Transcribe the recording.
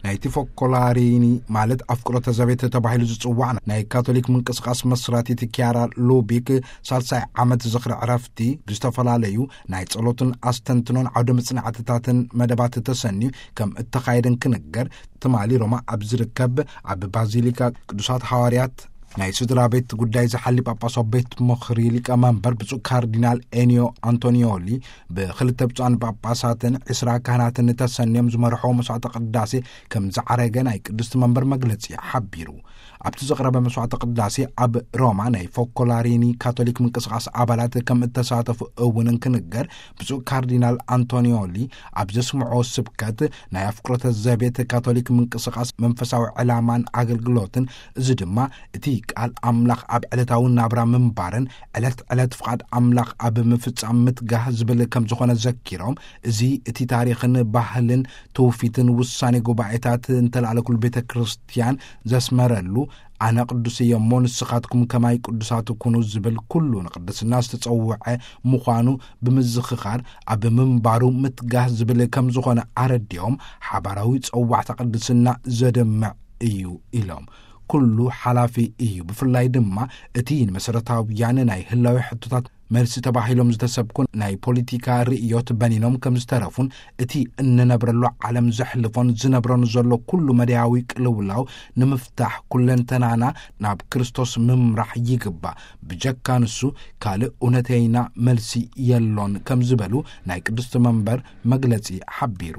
ናይቲ ፎኮላሪኒ፣ ማለት ኣፍቅሮተ ዘቤት ተባሂሉ ዝጽዋዕ፣ ናይ ካቶሊክ ምንቅስቃስ መስራቲት ኪያራ ሉቢክ ሳልሳይ ዓመት ዝኽሪ ዕረፍቲ፣ ብዝተፈላለዩ ናይ ጸሎትን ኣስተንትኖን ዓውደ መጽናዕትታትን መደባት ተሰንዩ ከም እተኻየደን ክንገር፣ ትማሊ ሮማ ኣብ ዝርከብ ኣብ ባዚሊካ ቅዱሳት ሃዋርያት ናይ ስድራ ቤት ጉዳይ ዝሓሊ ጳጳሳዊ ቤት ምኽሪ ሊቀመንበር ብፁዕ ካርዲናል ኤኒዮ ኣንቶኒዮሊ፣ ብክልተ ብፁዓን ጳጳሳትን ዕስራ ካህናትን ተሰንዮም ዝመርሖ መስዋዕተ ቅዳሴ ከም ዝዓረገ ናይ ቅድስቲ መንበር መግለጺ ሓቢሩ። ኣብቲ ዝቕረበ መስዋዕተ ቅዳሴ ኣብ ሮማ ናይ ፎኮላሪኒ ካቶሊክ ምንቅስቃስ ኣባላት ከም እተሳተፉ እውን እንክንገር፣ ብፁዕ ካርዲናል ኣንቶኒዮሊ ኣብ ዘስምዖ ስብከት፣ ናይ ኣፍቅሮተ ዘቤት ካቶሊክ ምንቅስቃስ መንፈሳዊ ዕላማን ኣገልግሎትን፣ እዚ ድማ እቲ ቃል ኣምላኽ ኣብ ዕለታዊ ናብራ ምንባርን ዕለት ዕለት ፍቓድ ኣምላኽ ኣብ ምፍጻም ምትጋህ ዝብል ከም ዝኾነ ዘኪሮም፣ እዚ እቲ ታሪኽን ባህልን ትውፊትን ውሳኔ ጉባኤታት እንተለኣለ ኩሉ ቤተ ክርስቲያን ዘስመረሉ፣ ኣነ ቅዱስ እየ እሞ ንስኻትኩም ከማይ ቅዱሳት ኩኑ ዝብል ኩሉ ንቅድስና ዝተጸውዐ ምዃኑ ብምዝኽኻር፣ ኣብ ምንባሩ ምትጋህ ዝብል ከም ዝኾነ ኣረዲኦም፣ ሓባራዊ ጸዋዕታ ቅድስና ዘደምዕ እዩ ኢሎም። ኩሉ ሓላፊ እዩ። ብፍላይ ድማ እቲ ንመሰረታውያን ናይ ህላዊ ሕቶታት መልሲ ተባሂሎም ዝተሰብኩ ናይ ፖለቲካ ርእዮት በኒኖም ከም ዝተረፉን፣ እቲ እንነብረሉ ዓለም ዘሕልፎን ዝነብረን ዘሎ ኩሉ መዳያዊ ቅልውላው ንምፍታሕ ኩለንተናና ናብ ክርስቶስ ምምራሕ ይግባእ። ብጀካ ንሱ ካልእ እውነተይና መልሲ የሎን ከም ዝበሉ ናይ ቅድስቲ መንበር መግለጺ ሓቢሩ።